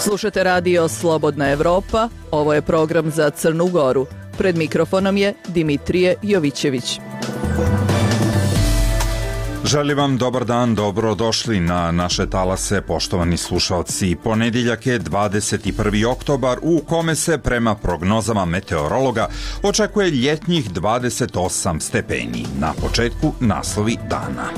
Slušate radio Slobodna Evropa, ovo je program za Crnu Goru. Pred mikrofonom je Dimitrije Jovićević. Želim vam dobar dan, dobrodošli na naše talase, poštovani slušalci. Ponedjeljak je 21. oktobar u kome se prema prognozama meteorologa očekuje ljetnjih 28 stepeni. Na početku naslovi dana.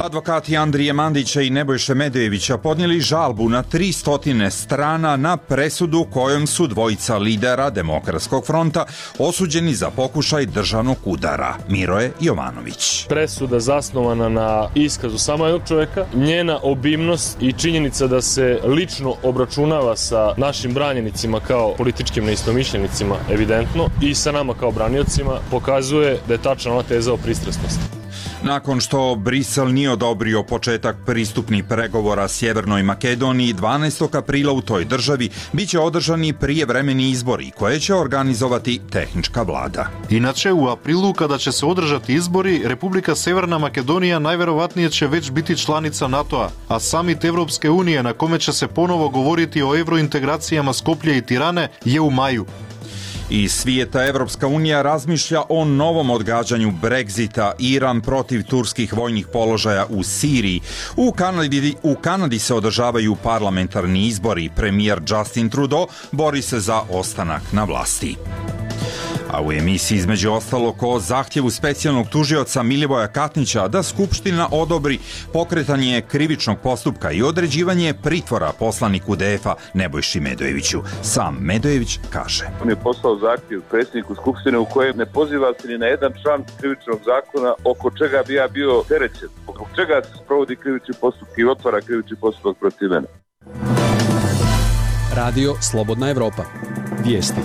Advokati Andrije Mandića i Nebojše Medojevića podnijeli žalbu na 300 strana na presudu kojom su dvojica lidera Demokratskog fronta osuđeni za pokušaj državnog udara. Miroje Jovanović. Presuda zasnovana na iskazu samo jednog čovjeka, njena obimnost i činjenica da se lično obračunava sa našim branjenicima kao političkim neistomišljenicima, evidentno, i sa nama kao braniocima, pokazuje da je tačna ona teza o pristrasnosti. Nakon što Brisel nije odobrio početak pristupnih pregovora Sjevernoj Makedoniji, 12. aprila u toj državi biće održani prijevremeni izbori koje će organizovati tehnička vlada. Inače, u aprilu kada će se održati izbori, Republika Severna Makedonija najverovatnije će već biti članica NATO-a, a samit Evropske unije na kome će se ponovo govoriti o evrointegracijama Skoplje i Tirane je u maju. Iz svijeta Evropska unija razmišlja o novom odgađanju Brexita, Iran protiv turskih vojnih položaja u Siriji. U Kanadi se održavaju parlamentarni izbori. Premijer Justin Trudeau bori se za ostanak na vlasti. A u emisiji između ostalog o zahtjevu specijalnog tužioca Milivoja Katnića da Skupština odobri pokretanje krivičnog postupka i određivanje pritvora poslaniku DF-a Nebojši Medojeviću. Sam Medojević kaže: On je poslao zahtjev predsjedniku Skupštine u kojem ne poziva se ni na jedan član krivičnog zakona oko čega bi ja bio terećen, oko čega se sprovodi krivični postupak i otvara krivični postupak protiv mene. Radio Slobodna Evropa. Vijesti.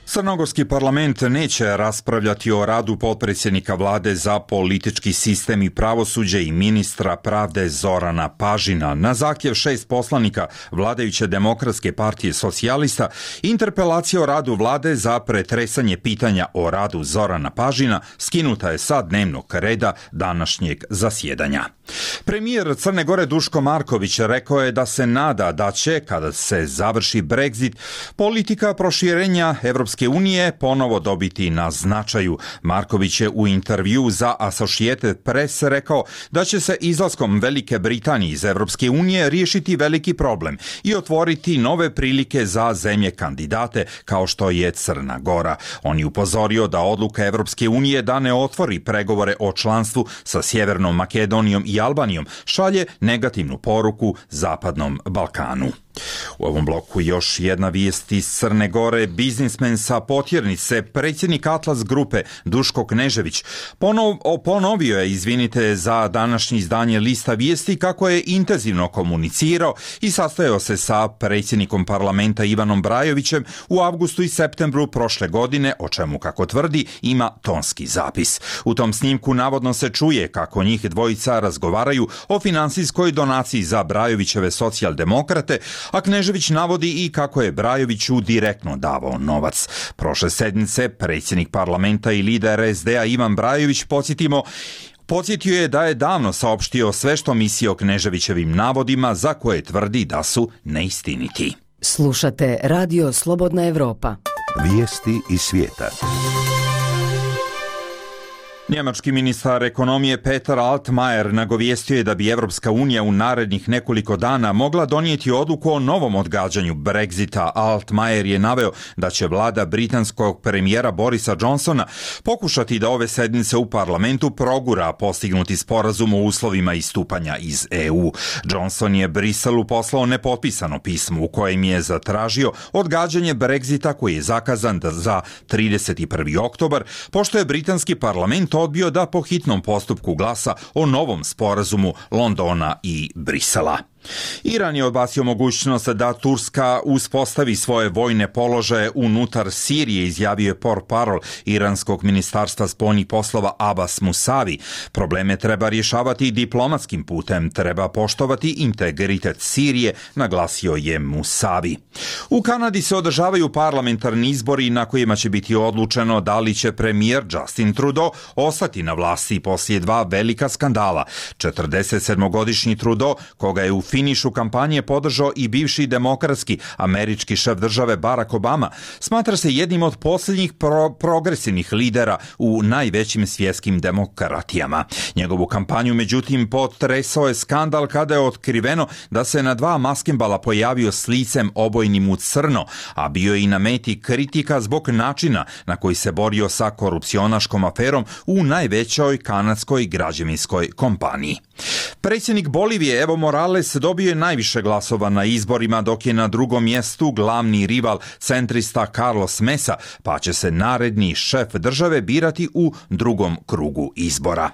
Crnogorski parlament neće raspravljati o radu potpredsjednika vlade za politički sistem i pravosuđe i ministra pravde Zorana Pažina. Na zahtjev 6 poslanika vladajuće Demokratske partije socijalista, interpelacija o radu vlade za pretresanje pitanja o radu Zorana Pažina skinuta je sa dnevnog reda današnjeg zasjedanja. Premijer Crne Gore Duško Marković rekao je da se nada da će, kada se završi Brexit, politika proširenja Evropske unije ponovo dobiti na značaju. Marković je u intervju za Associated Press rekao da će se izlaskom Velike Britanije iz Evropske unije riješiti veliki problem i otvoriti nove prilike za zemlje kandidate kao što je Crna Gora. On je upozorio da odluka Evropske unije da ne otvori pregovore o članstvu sa Sjevernom Makedonijom i Albanijom šalje negativnu poruku Zapadnom Balkanu. U ovom bloku još jedna vijest iz Crne Gore. Biznismen sa Potjernice, predsjednik Atlas grupe Duško Knežević, ponovio je, za današnje izdanje Lista vijesti, kako je intenzivno komunicirao i sastajao se sa predsjednikom parlamenta Ivanom Brajovićem u avgustu i septembru prošle godine, o čemu, kako tvrdi, ima tonski zapis. U tom snimku navodno se čuje kako njih dvojica razgovaraju o finansijskoj donaciji za Brajovićeve socijaldemokrate, a Knežević navodi i kako je Brajoviću direktno davao novac. Prošle sedmice predsjednik parlamenta i lider SD-a Ivan Brajović, podsjetio je da je davno saopštio sve što misli o Kneževićevim navodima za koje tvrdi da su neistiniti. Slušate Radio Slobodna Evropa. Vijesti iz svijeta. Njemački ministar ekonomije Peter Altmaier nagovijestio je da bi Evropska unija u narednih nekoliko dana mogla donijeti odluku o novom odgađanju Brexita. Altmaier je naveo da će vlada britanskog premijera Borisa Johnsona pokušati da ove sedmice u parlamentu progura postignuti sporazum o uslovima istupanja iz EU. Johnson je Briselu poslao nepotpisano pismo u kojem je zatražio odgađanje Brexita koji je zakazan za 31. oktobar, pošto je britanski parlament odbio da po hitnom postupku glasa o novom sporazumu Londona i Brisela. Iran je odbacio mogućnost da Turska uspostavi svoje vojne položaje unutar Sirije, izjavio je portparol iranskog ministarstva spoljnih poslova Abbas Musavi. Probleme treba rješavati diplomatskim putem, treba poštovati integritet Sirije, naglasio je Musavi. U Kanadi se održavaju parlamentarni izbori na kojima će biti odlučeno da li će premijer Justin Trudeau ostati na vlasti poslije 2 velika skandala. 47-godišnji Trudeau, koga je u finišu kampanje podržao i bivši demokratski američki šef države Barack Obama, smatra se jednim od posljednjih progresivnih lidera u najvećim svjetskim demokratijama. Njegovu kampanju, međutim, potresao je skandal kada je otkriveno da se na 2 maskembala pojavio s licem obojnim u crno, a bio je i na meti kritika zbog načina na koji se borio sa korupcionaškom aferom u najvećoj kanadskoj građevinskoj kompaniji. Predsjednik Bolivije Evo Morales dobio je najviše glasova na izborima, dok je na drugom mjestu glavni rival centrista Carlos Mesa, pa će se naredni šef države birati u drugom krugu izbora.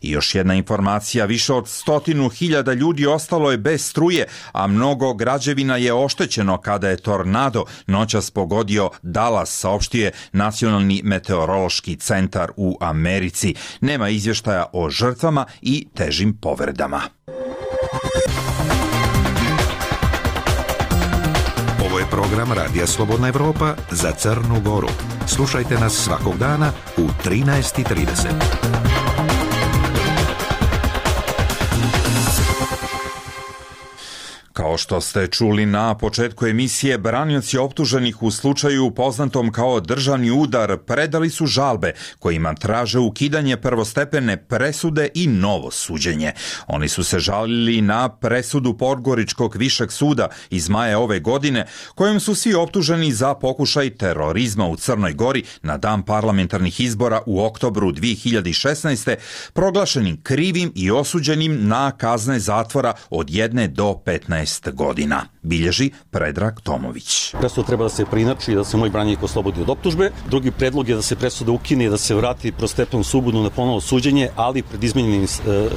I još jedna informacija, više od 100.000 ljudi ostalo je bez struje, a mnogo građevina je oštećeno kada je tornado noćas pogodio Dallas, saopštio je Nacionalni meteorološki centar u Americi. Nema izvještaja o žrtvama i težim povredama. Ovo je program Radija Slobodna Evropa za Crnu Goru. Slušajte nas svakog dana u 13:30. Kao što ste čuli na početku emisije, branioci optuženih u slučaju poznatom kao državni udar predali su žalbe kojima traže ukidanje prvostepene presude i novo suđenje. Oni su se žalili na presudu Podgoričkog višeg suda iz maja ove godine, kojom su svi optuženi za pokušaj terorizma u Crnoj Gori na dan parlamentarnih izbora u oktobru 2016. proglašenim krivim i osuđenim na kazne zatvora od 1 do 15 godina, bilježi Predrag Tomović. Presuda treba da se preinači i da se moj branjenik oslobodi od optužbe. Drugi predlog je da se presuda ukine i da se vrati prvostepenom sudu na ponovno suđenje, ali pred izmenjenim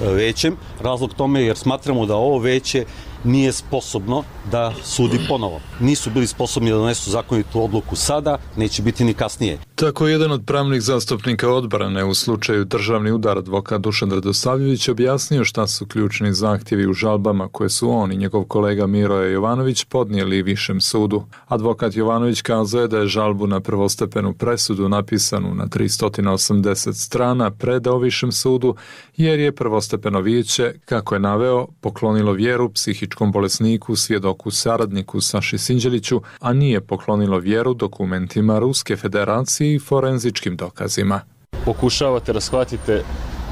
većem. Razlog tome jer smatramo da ovo veće nije sposobno da sudi ponovo. Nisu bili sposobni da donesu zakonitu odluku sada, neće biti ni kasnije. Tako jedan od pravnih zastupnika odbrane u slučaju državni udar, advokat Dušan Radosavljević, objasnio šta su ključni zahtjevi u žalbama koje su on i njegov kolega Miroje Jovanović podnijeli Višem sudu. Advokat Jovanović kazao je da je žalbu na prvostepenu presudu napisanu na 380 strana predao Višem sudu jer je prvostepeno vijeće, kako je naveo, poklonilo vjeru psihičkom bolesniku, svjedoku saradniku Saši Sinđeliću, a nije poklonilo vjeru dokumentima Ruske federacije i forenzičkim dokazima. Pokušavate da shvatite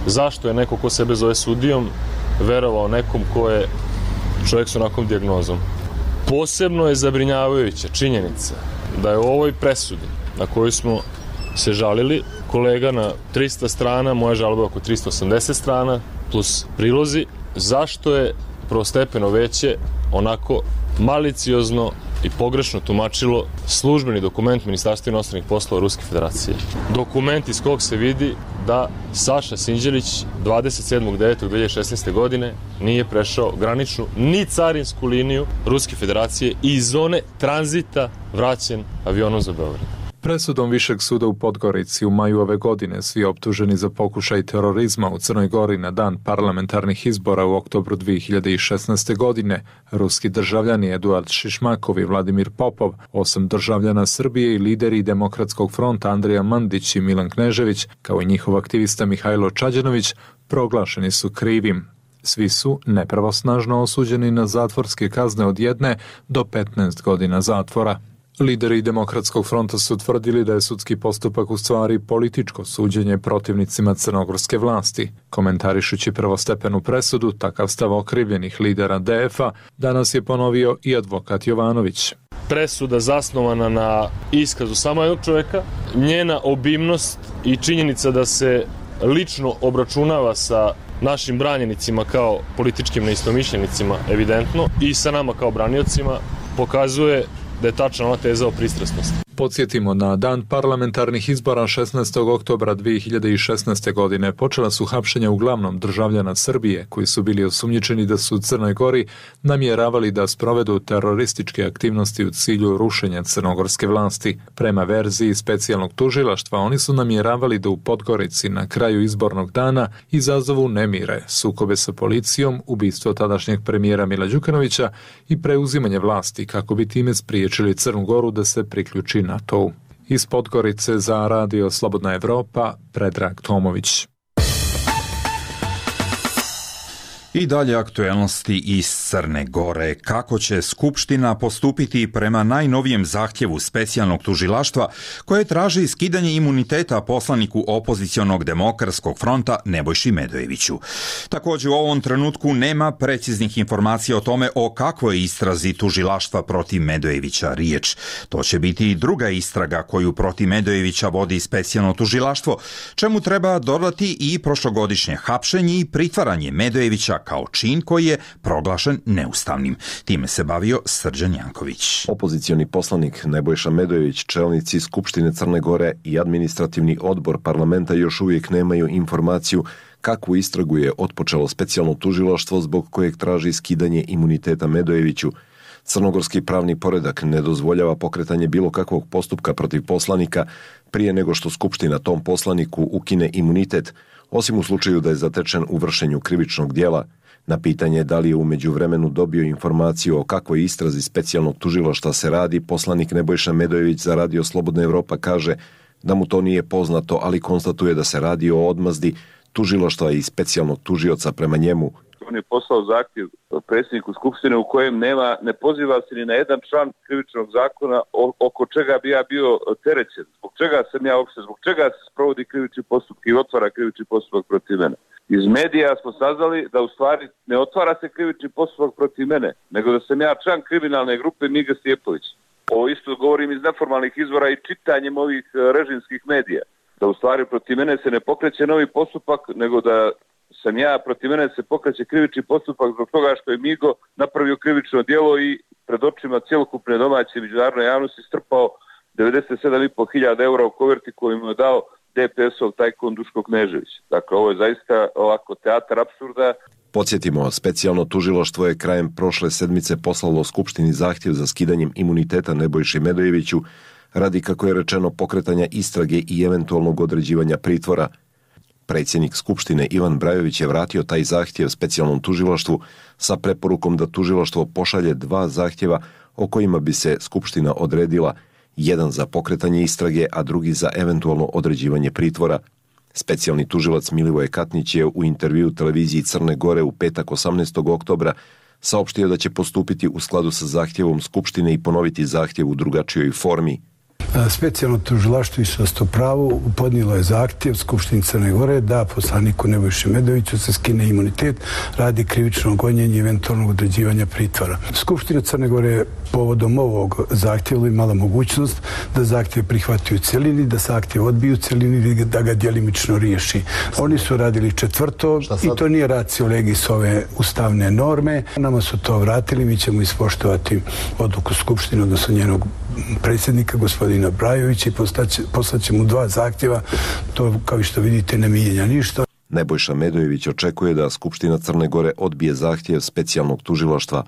zašto je neko ko sebe zove sudijom verovao nekom ko je čovjek s onakvom dijagnozom. Posebno je zabrinjavajuća činjenica da je u ovoj presudi na koju smo se žalili, kolega na 300 strana, moja žalba oko 380 strana, plus prilozi, zašto je prvostepeno veće onako maliciozno i pogrešno tumačilo službeni dokument Ministarstva inostranih poslova Ruske federacije. Dokument iz kog se vidi da Saša Sinđelić 27.9.2016. godine nije prešao graničnu ni carinsku liniju Ruske federacije i iz zone tranzita vraćen avionom za Beograd. Presudom Višeg suda u Podgorici u maju ove godine svi optuženi za pokušaj terorizma u Crnoj Gori na dan parlamentarnih izbora u oktobru 2016. godine, ruski državljani Eduard Šišmakov i Vladimir Popov, 8 državljana Srbije i lideri Demokratskog fronta Andrija Mandić i Milan Knežević, kao i njihov aktivista Mihajlo Čađanović, proglašeni su krivim. Svi su nepravosnažno osuđeni na zatvorske kazne od 1 do 15 godina zatvora. Lideri Demokratskog fronta su tvrdili da je sudski postupak u stvari političko suđenje protivnicima crnogorske vlasti. Komentarišući prvostepenu presudu, takav stav okrivljenih lidera DF-a danas je ponovio i advokat Jovanović. Presuda zasnovana na iskazu samo jednog čovjeka, njena obimnost i činjenica da se lično obračunava sa našim branjenicima kao političkim neistomišljenicima, evidentno, i sa nama kao braniocima, pokazuje da je tačna ona teza o pristrasnosti. Podsjetimo, na dan parlamentarnih izbora 16. oktobra 2016. godine počela su hapšenja uglavnom državljana Srbije koji su bili osumnjičeni da su u Crnoj Gori namjeravali da sprovedu terorističke aktivnosti u cilju rušenja crnogorske vlasti. Prema verziji specijalnog tužilaštva, oni su namjeravali da u Podgorici na kraju izbornog dana izazovu nemire, sukobe sa policijom, ubistvo tadašnjeg premijera Mila Đukanovića i preuzimanje vlasti kako bi time spriječili Crnu Goru da se priključi NATO. Iz Podgorice za Radio Slobodna Evropa, Predrag Tomović. I dalje aktuelnosti iz Crne Gore. Kako će Skupština postupiti prema najnovijem zahtjevu specijalnog tužilaštva koje traži skidanje imuniteta poslaniku opozicionog Demokratskog fronta Nebojši Medojeviću? Također u ovom trenutku nema preciznih informacija o tome o kakvoj istrazi tužilaštva protiv Medojevića riječ. To će biti i druga istraga koju protiv Medojevića vodi specijalno tužilaštvo, čemu treba dodati i prošlogodišnje hapšenje i pritvaranje Medojevića kao čin koji je proglašen neustavnim. Time se bavio Srđan Janković. Opozicioni poslanik Nebojša Medojević, čelnici Skupštine Crne Gore i administrativni odbor parlamenta još uvijek nemaju informaciju kakvu istragu je otpočelo specijalno tužilaštvo zbog kojeg traži skidanje imuniteta Medojeviću. Crnogorski pravni poredak ne dozvoljava pokretanje bilo kakvog postupka protiv poslanika prije nego što Skupština tom poslaniku ukine imunitet, osim u slučaju da je zatečen u vršenju krivičnog djela. Na pitanje da li je u međuvremenu dobio informaciju o kakvoj istrazi specijalnog tužilaštva se radi, poslanik Nebojša Medojević za Radio Slobodna Evropa kaže da mu to nije poznato, ali konstatuje da se radi o odmazdi tužilaštva i specijalnog tužioca prema njemu. On je poslao zahtjev predsjedniku Skupštine u kojem ne poziva se ni na jedan član krivičnog zakona oko čega bi ja bio terećen. Zbog čega se sprovodi krivični postupak i otvara krivični postupak protiv mene. Iz medija smo saznali da u stvari ne otvara se krivični postupak protiv mene, nego da sam ja član kriminalne grupe Miga Stjepović. Ovo isto govorim iz neformalnih izvora i čitanjem ovih režimskih medija. Da u stvari protiv mene se ne pokreće novi postupak, nego da protiv mene se pokreće krivični postupak zbog toga što je Migo napravio krivično djelo i pred očima cjelokupne domaće međunarodne javnosti strpao 97.500 eura u koverti koju mu je dao DPS-ov tajkun Duško Knežević. Dakle, ovo je zaista ovako teatar apsurda. Podsjetimo, specijalno tužilaštvo je krajem prošle sedmice poslalo Skupštini zahtjev za skidanjem imuniteta Nebojši Medojeviću radi, kako je rečeno, pokretanja istrage i eventualnog određivanja pritvora. Predsjednik Skupštine Ivan Brajović je vratio taj zahtjev specijalnom tužilaštvu sa preporukom da tužilaštvo pošalje 2 zahtjeva o kojima bi se Skupština odredila, jedan za pokretanje istrage, a drugi za eventualno određivanje pritvora. Specijalni tužilac Milivoje Katnić je u intervjuu televiziji Crne Gore u petak 18. oktobra saopštio da će postupiti u skladu sa zahtjevom Skupštine i ponoviti zahtjev u drugačijoj formi. Specijalno tužilaštvo isto pravo podnijelo je zahtjev Skupštini Crne Gore da poslaniku Nebojši Medojeviću se skine imunitet radi krivičnog gonjenja i eventualnog određivanja pritvora. Skupština Crne Gore povodom ovog zahtjeva imala mogućnost da zahtjev prihvati u cjelini, da zahtjev odbiju u cjelini i da ga djelimično riješi. Oni su radili četvrto i to nije ratio legis ove ustavne norme. Nama su to vratili, mi ćemo ispoštovati odluku Skupštine, odnosno njenog predsjednika, gospodina Brajovića, i poslaćemo 2 zahtjeva. To, kao što vidite, ne mijenja ništa. Nebojša Medojević očekuje da Skupština Crne Gore odbije zahtjev specijalnog tužilaštva.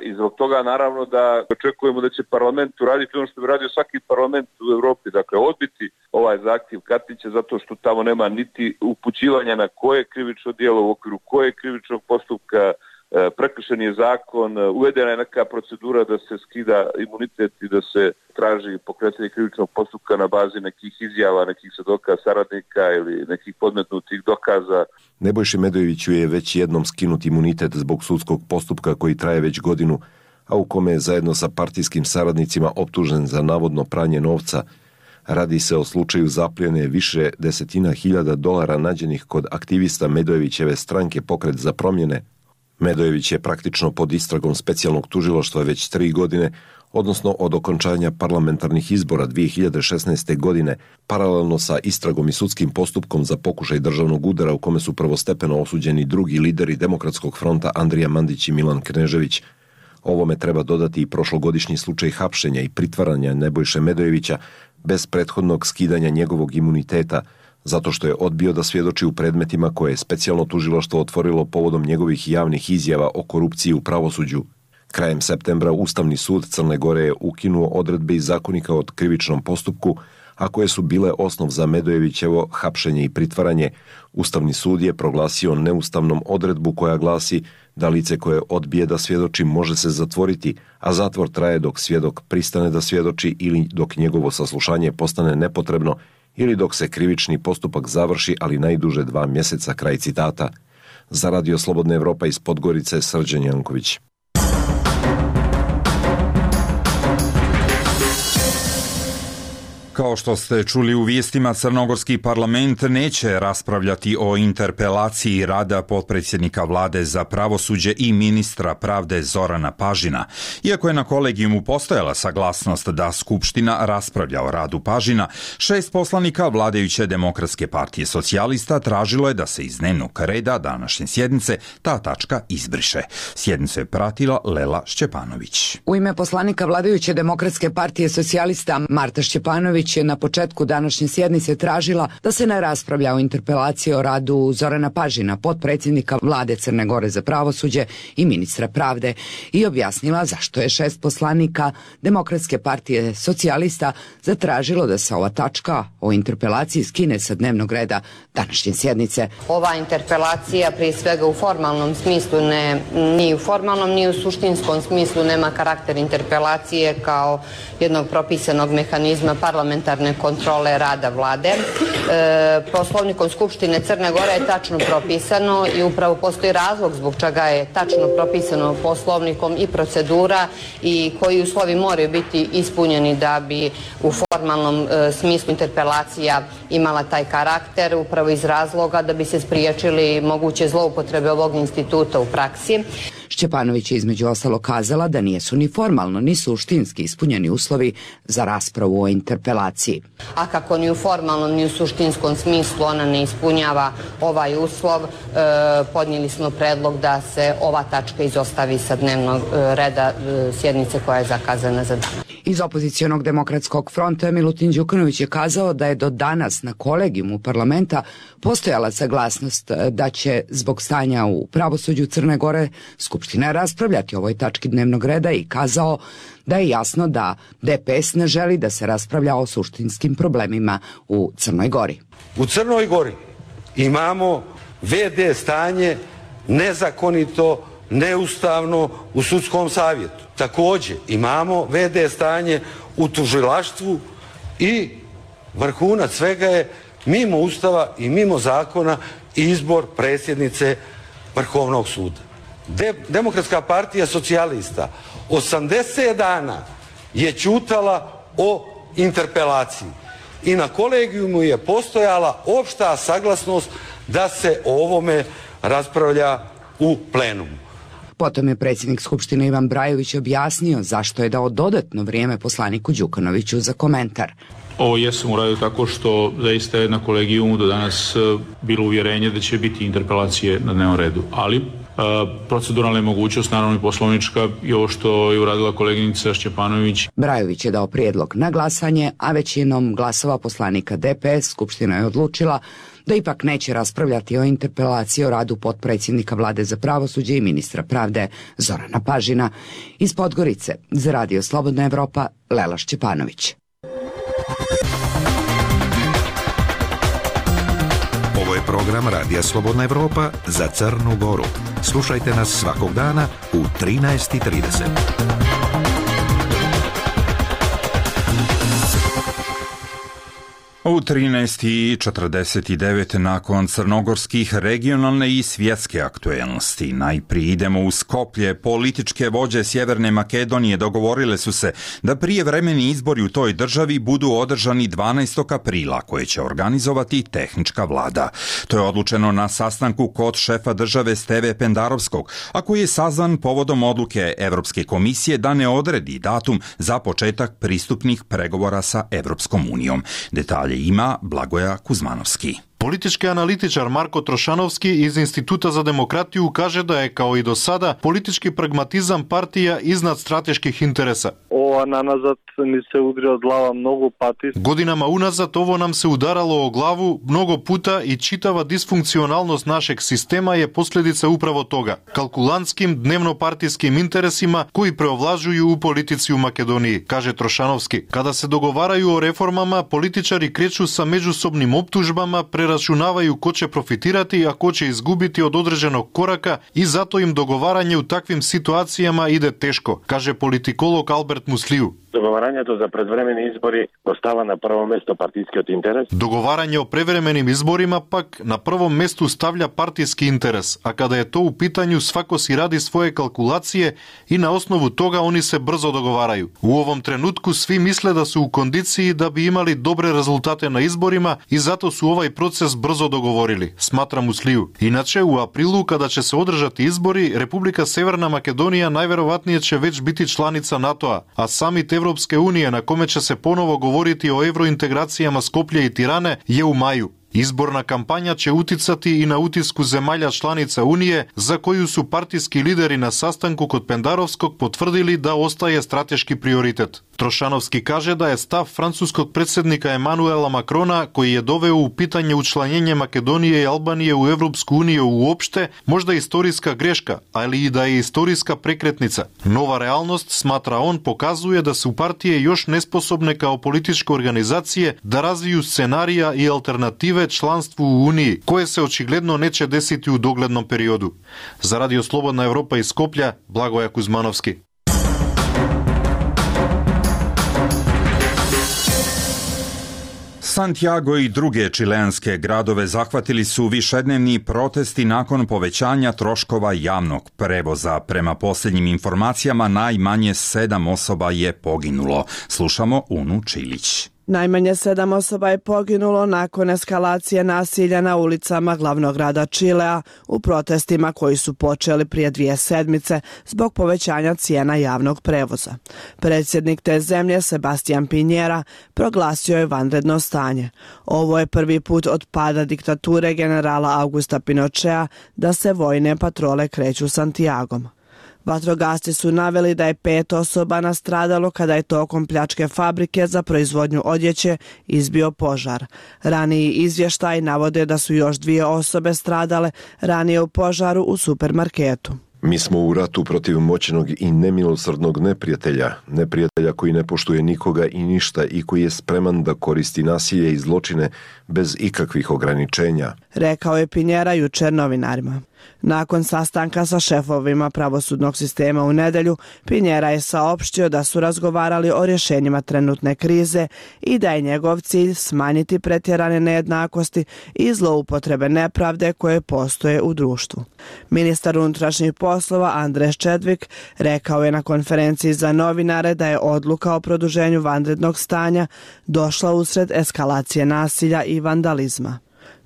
I zbog toga naravno da očekujemo da će parlament uraditi ono što bi radio svaki parlament u Europi, dakle odbiti ovaj zahtjev Katnića zato što tamo nema niti upućivanja na koje krivično djelo, u okviru koje krivičnog postupka, prekršen je zakon, uvedena je neka procedura da se skida imunitet i da se traži pokretanje krivičnog postupka na bazi nekih izjava, nekih svjedoka, saradnika ili nekih podmetnutih dokaza. Nebojši Medojeviću je već jednom skinut imunitet zbog sudskog postupka koji traje već godinu, a u kome je zajedno sa partijskim saradnicima optužen za navodno pranje novca. Radi se o slučaju zapljene više desetina hiljada dolara nađenih kod aktivista Medojevićeve stranke Pokret za promjene. Medojević je praktično pod istragom specijalnog tužilaštva već 3 godine, odnosno od okončanja parlamentarnih izbora 2016. godine, paralelno sa istragom i sudskim postupkom za pokušaj državnog udara u kome su prvostepeno osuđeni drugi lideri Demokratskog fronta Andrija Mandić i Milan Knežević. Ovome treba dodati i prošlogodišnji slučaj hapšenja i pritvaranja Nebojše Medojevića bez prethodnog skidanja njegovog imuniteta, zato što je odbio da svjedoči u predmetima koje je specijalno tužilaštvo otvorilo povodom njegovih javnih izjava o korupciji u pravosuđu. Krajem septembra Ustavni sud Crne Gore je ukinuo odredbe iz zakonika o krivičnom postupku, a koje su bile osnov za Medojevićevo hapšenje i pritvaranje. Ustavni sud je proglasio neustavnom odredbu koja glasi da lice koje odbije da svjedoči može se zatvoriti, a zatvor traje dok svjedok pristane da svjedoči ili dok njegovo saslušanje postane nepotrebno ili dok se krivični postupak završi, ali najduže 2 mjeseca, kraj citata. Za Radio Slobodna Evropa iz Podgorice, Srđan Janković. Kao što ste čuli u vijestima, crnogorski parlament neće raspravljati o interpelaciji rada potpredsjednika vlade za pravosuđe i ministra pravde Zorana Pažina. Iako je na kolegijumu postojala saglasnost da Skupština raspravlja o radu Pažina, 6 poslanika vladajuće Demokratske partije socijalista tražilo je da se iz dnevnog reda današnje sjednice ta tačka izbriše. Sjednicu je pratila Lela Šćepanović. U ime poslanika vladajuće Demokratske partije socijalista Marta Šćepanović je na početku današnje sjednice tražila da se ne raspravlja o interpelaciji o radu Zorana Pažina, potpredsjednika vlade Crne Gore za pravosuđe i ministra pravde, i objasnila zašto je 6 poslanika Demokratske partije socijalista zatražilo da se ova tačka o interpelaciji skine sa dnevnog reda današnje sjednice. Ova interpelacija prije svega u formalnom smislu, ni u formalnom ni u suštinskom smislu nema karakter interpelacije kao jednog propisanog mehanizma parlamentarne kontrole rada vlade. Poslovnikom Skupštine Crne Gore je tačno propisano i upravo postoji razlog zbog čega je tačno propisano poslovnikom i procedura i koji uslovi moraju biti ispunjeni da bi u formalnom smislu interpelacija imala taj karakter, upravo iz razloga da bi se spriječili moguće zloupotrebe ovog instituta u praksi. Šćepanović je između ostalo kazala da nisu ni formalno ni suštinski ispunjeni uslovi za raspravu o interpelaciji. A kako ni u formalnom ni u suštinskom smislu ona ne ispunjava ovaj uslov, podnijeli smo predlog da se ova tačka izostavi sa dnevnog reda sjednice koja je zakazana za dan. Iz opozicionog Demokratskog fronta Milutin Đukanović je kazao da je do danas na kolegijumu parlamenta postojala saglasnost da će zbog stanja u pravosuđu Crne Gore Skupština raspravljati o ovoj tački dnevnog reda i kazao da je jasno da DPS ne želi da se raspravlja o suštinskim problemima u Crnoj Gori. U Crnoj Gori imamo VD stanje nezakonito, neustavno u sudskom savjetu. Također imamo VD stanje u tužilaštvu i vrhunac svega je mimo Ustava i mimo zakona izbor predsjednice Vrhovnog suda. Demokratska partija socijalista 80 dana je ćutala o interpelaciji i na kolegijumu je postojala opšta saglasnost da se o ovome raspravlja u plenumu. Potom je predsjednik Skupštine Ivan Brajović objasnio zašto je dao dodatno vrijeme poslaniku Đukanoviću za komentar. Ovo jesam uradio tako što zaista je na kolegijumu do danas bilo uvjerenje da će biti interpelacije na dnevnom redu, ali proceduralna je mogućnost, naravno i poslovnička, i ovo što je uradila koleginica Šćepanović. Brajović je dao prijedlog na glasanje, a većinom glasova poslanika DPS Skupština je odlučila da ipak neće raspravljati o interpelaciji o radu potpredsjednika vlade za pravosuđe i ministra pravde Zorana Pažina. Iz Podgorice za Radio Slobodna Evropa, Lela Šćepanović. Ovo je program Radija Slobodna Evropa za Crnu Goru. Slušajte nas svakog dana u 13:30. U 13:49 nakon crnogorskih regionalne i svjetske aktuelnosti. Najprije idemo u Skoplje. Političke vođe Sjeverne Makedonije dogovorile su se da prijevremeni izbori u toj državi budu održani 12. aprila, koje će organizovati tehnička vlada. To je odlučeno na sastanku kod šefa države Steve Pendarovskog, a koji je sazvan povodom odluke Evropske komisije da ne odredi datum za početak pristupnih pregovora sa Evropskom unijom. Detalje ima Blagoja Kuzmanovski. Politički analitičar Marko Trošanovski iz Instituta za demokratiju kaže da je, kao i do sada, politički pragmatizam partija iznad strateških interesa. Ова наназад ни се удри од глава многу пати. Годинама уназад ово нам се ударало о главу многу пута и читава дисфункционалност нашeg система е последица управо тога. Калкулантским дневнопартиским интересима кои преовлажују у политици у Македонiji, каже Трошановски. Када се договарају о реформама, политичари кречу са меѓусобним оптужбама, прерачунавају ко ќе профитирати, а ко ќе изгубити од одредženog корака и зато им договарање у таквим ситуацијама иде тешко, каже политиколог Алберт Муслију. Договарањето за предвремени избори остава на прво место партискиот интерес. Договарање о превременим изборима пак на прво место ставља партиски интерес, а када е то у питању свако си ради своје калкулације и на основу тога они се брзо договарају. У овом тренутку сви мисле да се у кондиции да би имали добре резултати на изборима и зато су овај процес брзо договорили, сматра Муслију. Иначе у априлу када ќе се одржат избори, Република Северна Македонија најверојатније ќе веќе бити чланица НАТО-а, а самит Европска Унија на коме ќе се поново говорити о евроинтеграцијама Скопје и Тиране е у мају. Изборна кампања ќе утицати и на утиску земјалја чланица Унije, за коју су партиски лидери на састанку код Пендаровскog потврдили да остае стратешки приоритет. Трошановски каже да е став францускog председника Емануела Макрона, кој е довео у питање учланење Македонија и Албанија у Европску Унија уопште, можда историска грешка, али и да е историска прекретница. Нова реалност, сматра он, показуе да су партије још неспособне као политичка организација да развију сценарија и алтернативе членство у Унiji, кое се очигледно не ќе десити у догледном периоду. За Радио Слободна Европа из Скопје, Благоја Кузмановски. Santiago i druge čilenske gradove zahvatili su višednevni protesti nakon povećanja troškova javnog prevoza. Prema posljednjim informacijama najmanje 7 osoba je poginulo. Slušamo Unu Čilić. Najmanje 7 osoba je poginulo nakon eskalacije nasilja na ulicama glavnog grada Čilea u protestima koji su počeli prije 2 sedmice zbog povećanja cijena javnog prevoza. Predsjednik te zemlje, Sebastián Piñera, proglasio je vanredno stanje. Ovo je prvi put od pada diktature generala Augusta Pinochea da se vojne patrole kreću Santiagom. Vatrogasci su naveli da je 5 osoba nastradalo kada je tokom pljačke fabrike za proizvodnju odjeće izbio požar. Raniji izvještaj navode da su još 2 osobe stradale ranije u požaru u supermarketu. Mi smo u ratu protiv moćnog i nemilosrdnog neprijatelja koji ne poštuje nikoga i ništa i koji je spreman da koristi nasilje i zločine bez ikakvih ograničenja, rekao je Piñera jučer novinarima. Nakon sastanka sa šefovima pravosudnog sistema u nedelju, Piñera je saopštio da su razgovarali o rješenjima trenutne krize i da je njegov cilj smanjiti pretjerane nejednakosti i zloupotrebe nepravde koje postoje u društvu. Ministar unutrašnjih poslova Andres Čedvik rekao je na konferenciji za novinare da je odluka o produženju vanrednog stanja došla usred eskalacije nasilja i vandalizma.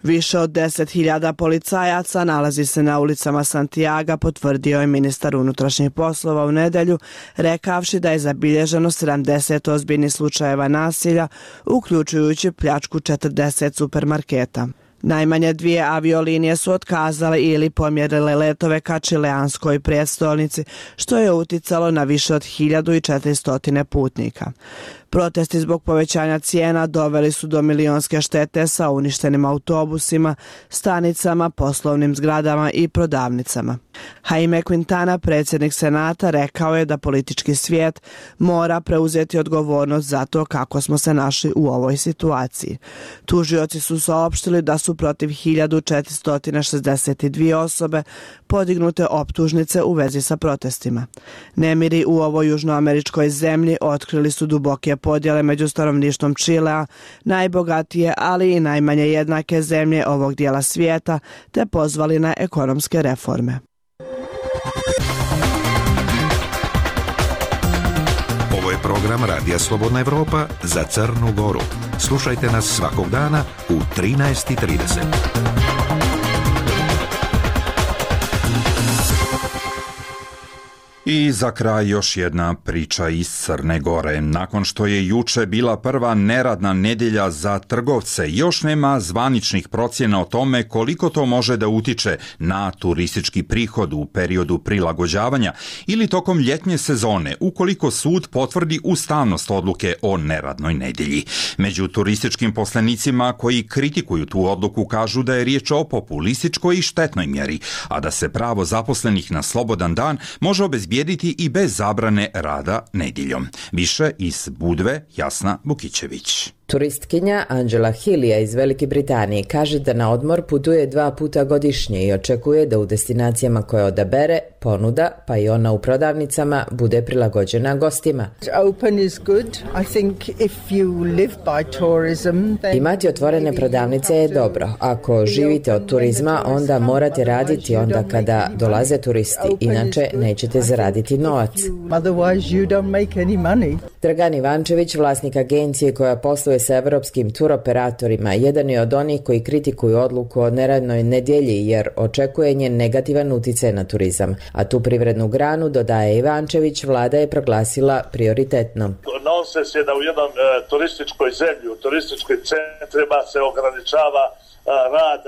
Više od 10.000 policajaca nalazi se na ulicama Santiaga, potvrdio je ministar unutrašnjih poslova u nedelju, rekavši da je zabilježeno 70 ozbiljnih slučajeva nasilja, uključujući pljačku 40 supermarketa. Najmanje 2 aviolinije su otkazale ili pomjerile letove ka čileanskoj prijestolnici, što je uticalo na više od 1400 putnika. Protesti zbog povećanja cijena doveli su do milionske štete sa uništenim autobusima, stanicama, poslovnim zgradama i prodavnicama. Jaime Quintana, predsjednik Senata, rekao je da politički svijet mora preuzeti odgovornost za to kako smo se našli u ovoj situaciji. Tužioci su saopštili da su protiv 1462 osobe podignute optužnice u vezi sa protestima. Nemiri u ovoj južnoameričkoj zemlji otkrili su duboke podjele među stanovništvom Čilea, najbogatije, ali i najmanje jednake zemlje ovog dijela svijeta, te pozvali na ekonomske reforme. Ovo je program Radija Slobodna Evropa za Crnu Goru. Slušajte nas svakog dana u 13:30. I za kraj još jedna priča iz Crne Gore. Nakon što je juče bila prva neradna nedjelja za trgovce, još nema zvaničnih procjena o tome koliko to može da utiče na turistički prihod u periodu prilagođavanja ili tokom ljetnje sezone, ukoliko sud potvrdi ustavnost odluke o neradnoj nedjelji. Među turističkim poslenicima koji kritikuju tu odluku kažu da je riječ o populističkoj i štetnoj mjeri, a da se pravo zaposlenih na slobodan dan može obezbijediti i bez zabrane rada nedjeljom. Više iz Budve, Jasna Bukićević. Turistkinja Angela Hilija iz Velike Britanije kaže da na odmor putuje 2 puta godišnje i očekuje da u destinacijama koje odabere ponuda, pa i ona u prodavnicama, bude prilagođena gostima. Imati otvorene prodavnice je dobro. Ako živite od turizma, onda morate raditi onda kada dolaze turisti, inače nećete zaraditi novac. Dragan Ivančević, vlasnik agencije koja posluje sa evropskim turoperatorima, jedan je od onih koji kritikuju odluku o neradnoj nedjelji jer očekuje njen negativan utjecaj na turizam. A tu privrednu granu, dodaje Ivančević, vlada je proglasila prioritetnom. Nonsens je da u jednom turističkoj zemlji, u turističkoj centrima se ograničava rad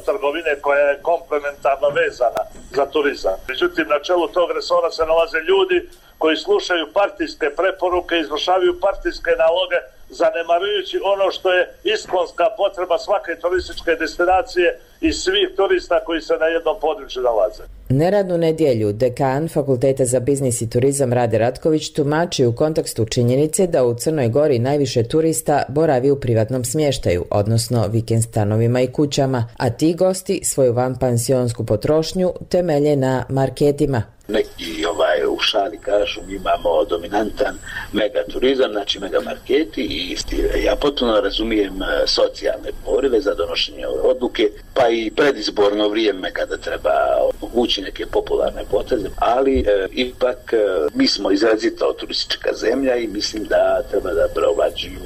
trgovine koja je komplementarno vezana za turizam. Međutim, na čelu tog resora se nalaze ljudi koji slušaju partijske preporuke, izvršavaju partijske naloge, zanemarujući ono što je iskonska potreba svake turističke destinacije i svih turista koji se na jednom području nalaze. Neradnu nedjelju dekan Fakulteta za biznis i turizam Rade Ratković tumači u kontekstu činjenice da u Crnoj Gori najviše turista boravi u privatnom smještaju, odnosno vikend stanovima i kućama, a ti gosti svoju vanpansionsku potrošnju temelje na marketima. Neki u šali kažu mi imamo dominantan megaturizam, znači megamarketi, i ja potpuno razumijem socijalne porive za donošenje ove odluke, pa i predizborno vrijeme kada treba omogućiti neke popularne poteze, ali ipak mi smo izrazito turistička zemlja i mislim da treba da preovlađuju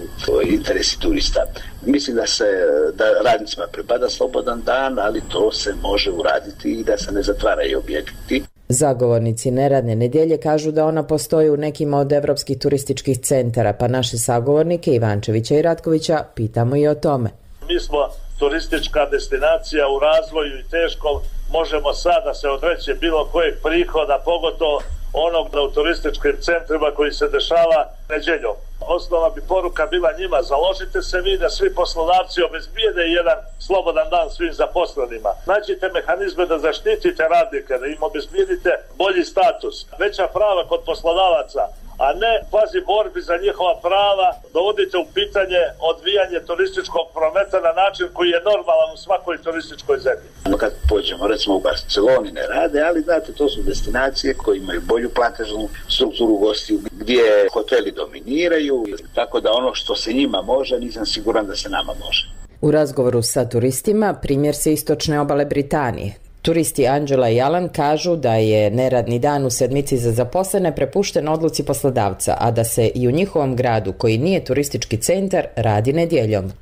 interesi turista. Mislim da radnicima pripada slobodan dan, ali to se može uraditi i da se ne zatvaraju objekti. Zagovornici neradne nedjelje kažu da ona postoji u nekim od evropskih turističkih centara, pa naše sagovornike Ivančevića i Ratkovića pitamo i o tome. Mi smo turistička destinacija u razvoju i teškom, možemo sada se odreći bilo kojeg prihoda, pogotovo onog u turističkim centrima koji se dešava nedjeljom. Osnova bi poruka bila njima, založite se vi da svi poslodavci obezbijede jedan slobodan dan svim zaposlenima. Nađite mehanizme da zaštitite radnike, da im obezbijedite bolji status, veća prava kod poslodavaca, a ne pazi borbi za njihova prava, dovodite u pitanje odvijanje turističkog prometa na način koji je normalan u svakoj turističkoj zemlji. Kad pođemo, recimo u Barceloni ne rade, ali znate, to su destinacije koje imaju bolju platežnu strukturu gostiju, gdje hoteli dominiraju, tako da ono što se njima može, nisam siguran da se nama može. U razgovoru sa turistima primjer se istočne obale Britanije. Turisti Angela i Alan kažu da je neradni dan u sedmici za zaposlene prepušten odluci poslodavca, a da se i u njihovom gradu, koji nije turistički centar, radi nedjeljom.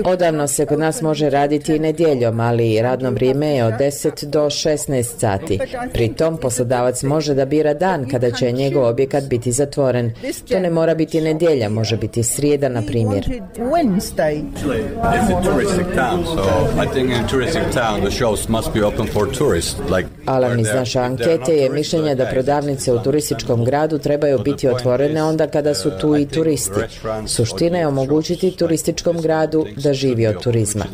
Odavno se kod nas može raditi i nedjeljom, ali radno vrijeme je od 10 do 16 sati. Pritom poslodavac može da bira dan kada će njegov objekat biti zatvoren. To ne mora biti nedjelja, može biti srijeda, na primjer. Alan iz naše ankete je mišljenja da prodavnice u turističkom gradu trebaju biti otvorene onda kada su tu i turisti. Suština je omogućiti turističkom gradu da živi od turizma.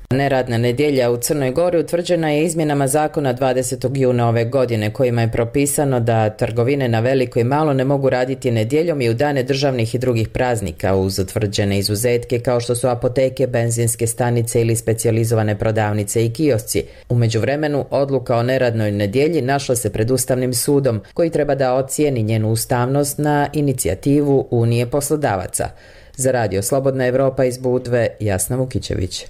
Neradna nedjelja u Crnoj Gori utvrđena je izmjenama zakona 20. juna ove godine, kojima je propisano da trgovine na veliko i malo ne mogu raditi nedjeljom i u dane državnih i drugih praznika, uz utvrđene izuzetke kao što su apoteke, benzinske stanice ili specijalizovane prodavnice i kiosci. U međuvremenu, odluka o neradnoj nedjelji našla se pred Ustavnim sudom, koji treba da ocijeni njenu ustavnost na inicijativu Unije poslodavaca. Za Radio Slobodna Evropa iz Budve, Jasna Vukićević.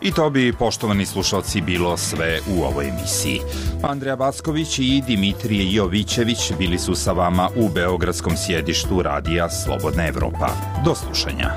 I to bi, poštovani slušalci, bilo sve u ovoj emisiji. Andreja Backović i Dimitrije Jovićević bili su sa vama u beogradskom sjedištu Radija Slobodna Evropa. Do slušanja.